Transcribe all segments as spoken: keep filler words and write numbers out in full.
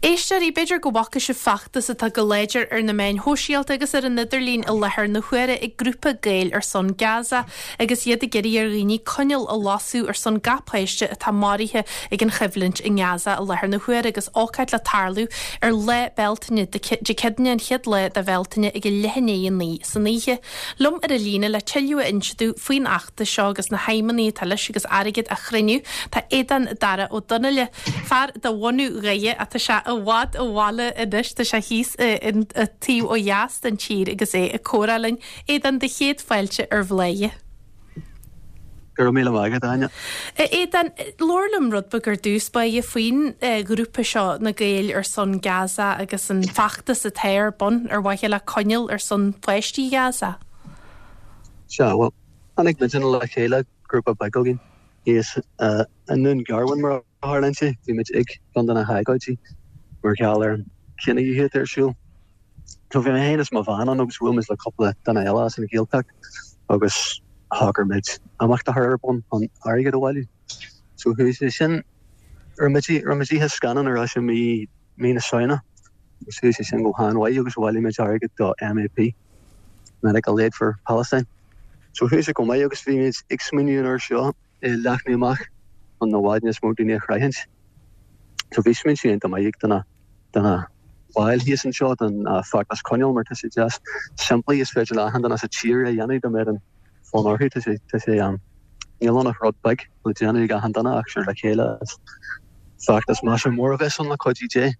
Éisteoirí, b'fhéidir go bhfaca sibh feachtas atá go láidir ar na meáin shóisialta agus ar an idirlíon i láthair na huaire ag grúpa Gaeil ar son Gaza agus iad ag iarraidh ar dhaoine coinneal a lasadh ar son gach páiste atá maraithe ag an choimhlint i nGaza i láthair na huaire agus ócáid le tarlú ar lá Bealtaine, Dé Céadaoine an chéad lá de Bhealtaine ag a leath i ndiaidh a naoi san oíche. Liom ar an líne le tuilleadh a inse dúinn faoin fheachtas seo agus na haidhmeanna atá leis agus airgead a chruinniú tá Aodán Dara Ó Donnaile, fear de bhunadh Dhoire ach tá sé i bhfad ó bhaile anois, tá sé thíos an taobh ó dheas den tír agus é ag comhrá linn. Aodán, do chéad fáilte ar Bhladhaire. Go raibh míle maith agat, Áine. Aodán, labhair liom rud beag ar dtús báire faoin ghrúpa seo, na Gaeil ar son Gaza agus an feachtas atá ar bun ar mhaithe le coinneal ar son pháistí Gaza. Sea, bhuel, tháinig muidne le chéile, grúpa beag againn, thíos i nDún Garbhán mar a tharlaíonn sé, bhí muid ag ceann de na hagóidí mar gheall ar an chinedhíothú atá ar siúl. So bhí mé féin is mo bhean ann agus bhuail muid le cúpla duine eile as an Ghaeltacht agus shocraigh muid imeacht a chur ar bun chun airgead a bhailiú. So chuaigh sé sin, rinne muid rinne muid oíche scannán ar ais i mí mí na Samhna agus chuaigh sé sin go han-mhaith agus bhailigh muid airgead do M A P, Medical Aid for Palestine. So chuaigh sé go maith agus bhí muid ag smaoineamh an uair seo é leathnú amach chun i bhfad níos mó daoine a shroichint. So bhí smaointe iontach maith ag do de na baill thíos anseo don feachtas coinneal mar tá sé deas simplí, is féidir le achan duine sa tír é a dhéanamh dá mbeadh an fonn orthu. Tá sé tá sé níl ann ach rud beag le déanamh ag achan duine ach sure le chéile is feachtas maise mór a bheas ann le cuidiú Dé.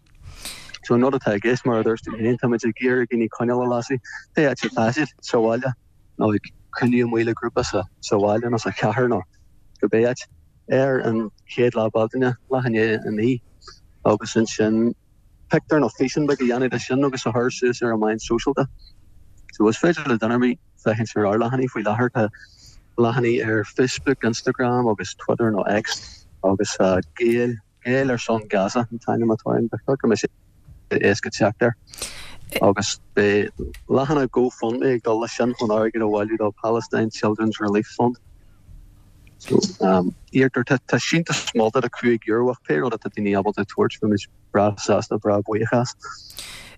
So an rud atá i gceist, mar a dúirt tú féin, táimid ag iarraidh daoine coinneal a lasadh pé áit atá siad, sa bhaile nó ag cruinniú amuigh le grúpa sa sa bhaile nó sa chathair nó cibé áit, ar an chéad lá Bealtaine, leath i ndiaidh a naoi, agus ansin pictiúr nó físeán beag a dhéanamh de sin agus a chur suas ar an meáin sóisialta. So is féidir le duine ar bith féachaint ar ár leathanaigh faoi láthair. Tá leathanaigh ar Facebook, Instagram agus Twitter nó X agus Gaeil Gaeil ar son Gaza an t-ainm atá ann. Ba cheart go mbeadh sé éasca teacht air. Agus beidh leathanach GoFundMe ag dul leis sin chun airgead a bhailiú do Palestine Children's Relief Fund. So um, iarrtar tá tá síntiús molta de cúig euro ach pé rud atá daoine ábalta tabhairt, beimid breá sásta, breá buíoch as.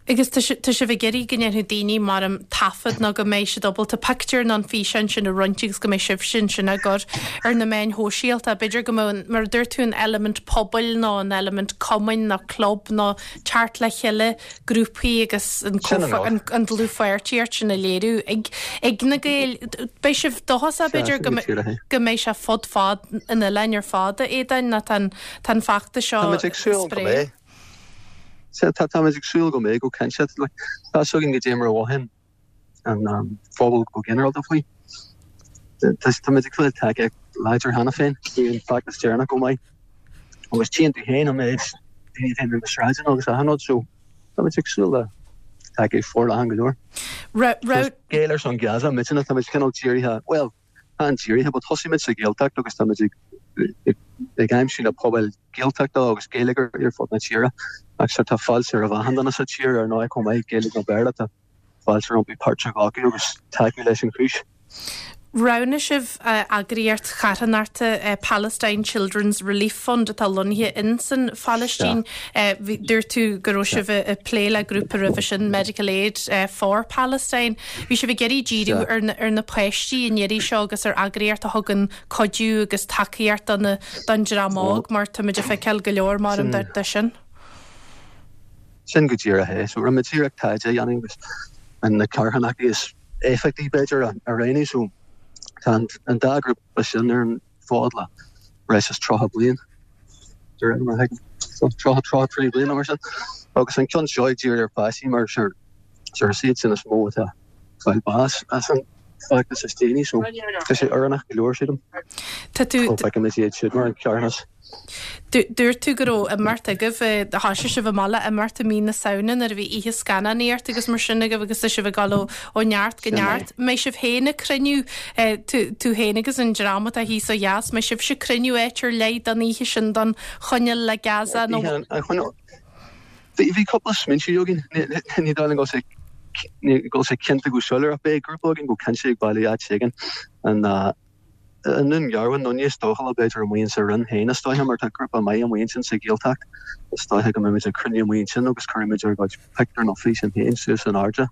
Agus tá sibh ag iarraidh go ndéanfaidh daoine mar an taifead nó go mbeidh siad ábalta pictiúr nó an físeán sin a roinnt agus go mbeidh sibh sin sin á gcur ar na meáin shóisialta. B'fhéidir go mbeadh, mar a dúirt tú, an eilimint pobail nó an eilimint cumainn nó club nó teacht le chéile grúpaí agus an Sin an rud. an, an dlúthpháirtíocht sin a léiriú ag, ag na Gaeil. Beidh sibh dóchasach b'fhéidir go Sin go díreach é. go mbeidh sé fud fad an oileáin ar fad, a Aodáin, nó tá an tá an feachtas seo Táimid ag súil go spré. mbeidh. Tá táimid ag súil go mbeidh go cinnte. Tá againn go dté mar bhain an um, phobal go ginearálta faoi. Táimid ag fáil tacaíocht láidir cheana féin an feachtas deireanach go maith. Agus tchíonn tú féin an méid daoine féin ar na sráideanna agus achan rud, so táimid ag súil le tacaíocht forleathan go leor. Ra- ra- Gaeil ar son Gaza, muidne táimid cineál dírithe, well, tá dírithe, but thosaigh muid sa Ghaeltacht agus táimid ag ag ag aimsiú na pobail Gaeltachta agus Gaeilge ar fud na tíre. Agus tá fáilte roimh achan duine sa tír ar ndóigh chomh maith, Gaeilge nó Béarla, tá fáilte rompu páirt a ghlacadh agus tacú leis an chúis. Roghnaigh sibh uh, eagraíocht charthanachta uh, Palestine Children's Relief Fund atá lonnaithe in san Phalaistín. Uh, bhí- Dúirt tú go raibh sibh ag plé le grúpa roimhe sin Medical Aid uh, for Palestine. Bhí sibh ag iarraidh díriú Sea. ar na, ar na páistí in iarraidh seo agus ar eagraíocht a thugann cuidiú agus tacaíocht don don dream óg mar táimid ag feiceáil go leor mar Sin- de, de sin. Sin go díreach é, so rinne muid iarracht taighde a dhéanamh agus an na carthanachtaí is éifeachtaí b'fhéidir a a roghnú, so tá an, an dá grúpa sin ar an fód le breis is tríocha bliain. De réir mar a thuigim. So tríocha tríocha trí bliana mar sin. Agus an ceann seo ag díriú ar pháistí mar sure sure is iad sin is mó atá fáil bás as an feachtas is déanaí, so tá sé oiriúnach go leor sílim. Tá tú Ó feicimid iad siúd mar an carthanas. Dúirt tú go raibh imeacht agaibh, thosaigh sibh amach le imeacht i mí na Samhna nuair a bhí oíche scannánaíocht agus mar sin agaibh agus tá sibh ag dul ó ó neart go Sin é. neart. Mbeidh sibh féin ag cruinniú eh, tú tú féin agus an dream atá thíos ó dheas, mbeidh sibh ag cruinniú áit ar leith don oíche sin don choinneal le Gaza nó Bhí an choinneal Bhí bhí cúpla smaointe againn, ní dóigh liom go bhfuil sé ní go bhfuil sé cinnte go soiléir ach beidh grúpa againn go cinnte ag bailiú áit éigin an uh, I nDún Garbhán nó níos dóchúla b'fhéidir amuigh insa Rinn féin is dóiche mar tá grúpa maith amuigh ansin sa Ghaeltacht. Is dóiche go mbeimid ag cruinniú amuigh ansin agus cuirfimid ár gcuid pictiúr nó físeán féin suas in airde.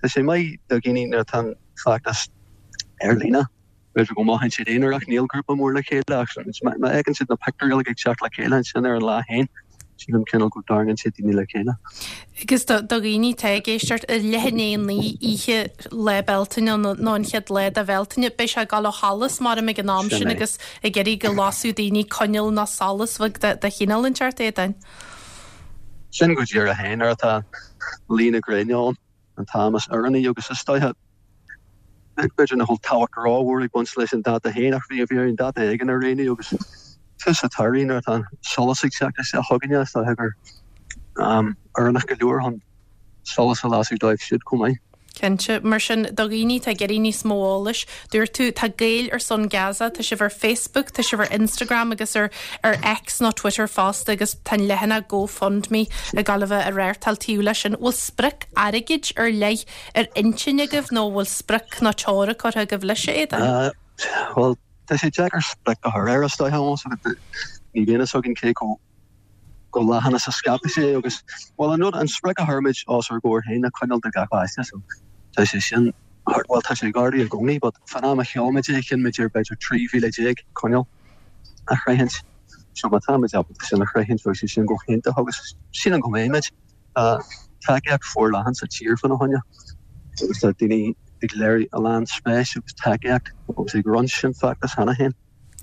Tá sé maith do dhaoine nuair atá an feachtas ar líne. B'fhéidir go mothaíonn siad aonarach, níl grúpa mór le chéile ach má fheiceann siad na pictiúirí uilig ag teacht le chéile ansin ar an lá féin, sílim cineál go dtarraingíonn siad daoine le chéile. Agus do dhaoine atá ag éisteacht, i leath i ndiaidh a naoi oíche Lá Bealtaine nó an chéad lá de Bhealtaine, beidh sé ag dul ó sholas maram ag an am sin agus ag iarraidh go lasfadh daoine coinneal nó solas bheag de chineál inteacht, a Aodáin. Sin go díreach é, nuair atá luí na gréine ann, an t-am is oiriúnaí agus is dóiche B'fhéidir nach bhfuil tábhacht rómhór ag baint leis an dáta féin ach bhí bhí orainn dáta éigin a roghnú agus tús an tsamhraidh nuair atá an solas ag teacht isteach chugainne is dócha gur am oiriúnach go leor chun solas a lasadh dóibh siúd chomh maith. Cinnte. Mar sin, do dhaoine atá ag iarraidh níos mó eolais, dúirt tú, tá Gaeil ar son Gaza, tá sibh ar Facebook, tá sibh ar Instagram agus ar ar X nó Twitter fosta agus tá an leathanach GoFundMe ag gabháil a bheith á reáchtáil taobh leis sin. Bhfuil sprioc airgid ar leith ar intinn agaibh nó bhfuil sprioc nó teora curtha agaibh leis, a Aodáin? Bhuel, tá sé deacair sprioc a chur air is dóiche, ní bhíonn fhios againn cé chomh chomh leathan is a scaipfidh sé agus, bhuel, an rud, an sprioc a chuir muid os ár gcomhair féin ná coinneal do gach páiste so tá sé sin, bhuel, tá sé ag ardú i gcónaí but fán am a sheol muid é chinn muid ar b'fhéidir trí mhíle déag coinneal a shroichint so má tá muid ábalta sin a shroichint bheadh sé sin go hiontach agus sílim go mbeidh muid. Tá tacaíocht forleathan sa tír fána choinne agus tá daoine ag léiriú a lán spéis agus tacaíocht agus ag roinnt an feachtas cheana féin.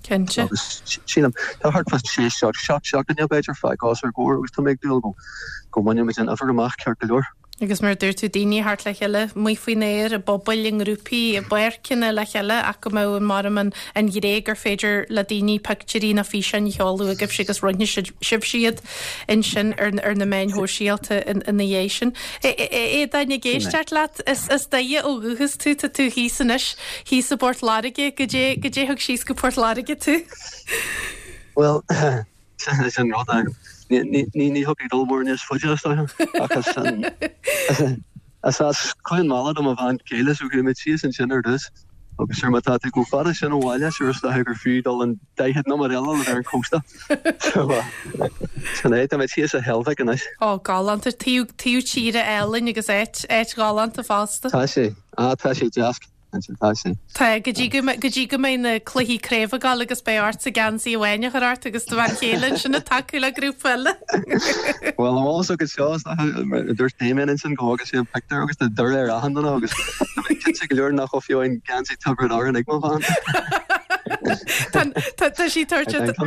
Cinnte. Agus sílim, tá thart fá sé, seacht, seacht seachtaine b'fhéidir fágtha os ár gcomhair agus tá mé ag dúil go go mbainfimid an uimhir amach ceart go leor. Agus mar a dúirt tú, daoine a theacht le chéile amuigh faoin aer, i bpobail, i ngrúpaí, i bpáirceanna le chéile ach go mbeadh an maram an an ghné gur féidir le daoine pictiúirí nó físeáin a sheoladh chugaibhse agus roinnfidh sibhse iad ansin ar ar na meáin shóisialta ina dhiaidh sin. A Aodáin, ag éisteacht leat, is as Doire ó dhúchas tú, tá tú thíos anois, thíos i bPort Láirge, goidé goidé thug síos go Port Láirge tú? Bhuel, Sin é an rud. Ní thiocfaidh dul mór níos faide is dóiche. Ach is as Cluain Meala do mo bhean chéile so chuaigh muid síos ansin ar dtús. Agus sure má tá tú chomh fada sin ó bhaile sure is dóiche gur fiú dul an daichead nóiméad eile le bheith ar an chósta. So sin é, tá muid thíos i Heilbhic anois. Ó, galánta. Taobh tíre álainn agus áit ghalánta fosta. Tá sé. Á, tá sé deas. Ansin tá sé. Tá, go dtí go go dtí go mbeidh na cluichí craoibhe ag gabháil agus beidh ortsa geansaí amháin a chur ort agus do bhean chéile ansin ag tacú le grúpa eile. Bhuel, an bhfuil fhios agat seo, is dócha, dúirt Damien ansin go bhfaca sé an pictiúr agus tá Doire ar achan duine agus tá mé cinnte go leor nach bhfuil fiú aon geansaí Tiobraid Árann ag mo bhean. Tá tá tá sí tabhairt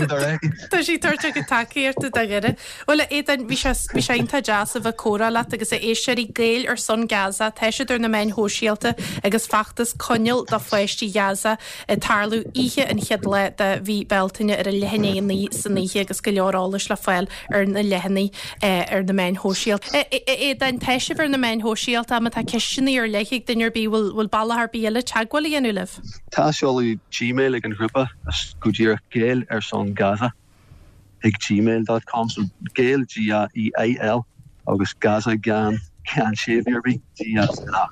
tá sí tabhairt a cuid tacaíochta do Dhoire. Bhuel, a Aodáin, bhí sé bhí sé iontach deas a bheith ag comhrá leat agus a éisteoirí Gaeil ar son Gaza, tá siad ar na meáin shóisialta agus feachtas Coinneal do Pháistí Ghaza ag tarlú oíche an chéad lá de mhí Bealtaine ar a leath i ndiaidh a naoi san oíche agus go leor eolais le fáil ar na leathanaigh ar na meáin shóisialta. A Aodáin, tá sibh ar na meáin shóisialta, má tá ceisteanna ar leith ag duine ar bith, bhfuil bhfuil bealach ar bith eile teagmháil a dhéanamh libh? Tá seoladh Gmail ag an ghrúpa, is go díreach Gaeil ar son Gaza. ag gmail dot com so Gaeil G A E I L agus Gaza gan gan séimhiú ar bith G A Z A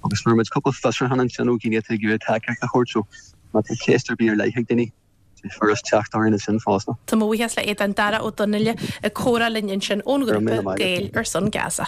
agus fuair muid cúpla fiosrúchán ansin ó dhaoine atá ag iarraidh tacaíocht a thabhairt so má tá ceist ar bith ar leith ag daoine tá sé furast teacht orainn ansin fosta. Tá mo bhuíochas le Aodán Darach Ó Donnaile ag comhrá linn ansin ón Go raibh míle ghrúpa maith agat. Gaeil ar son Gaza.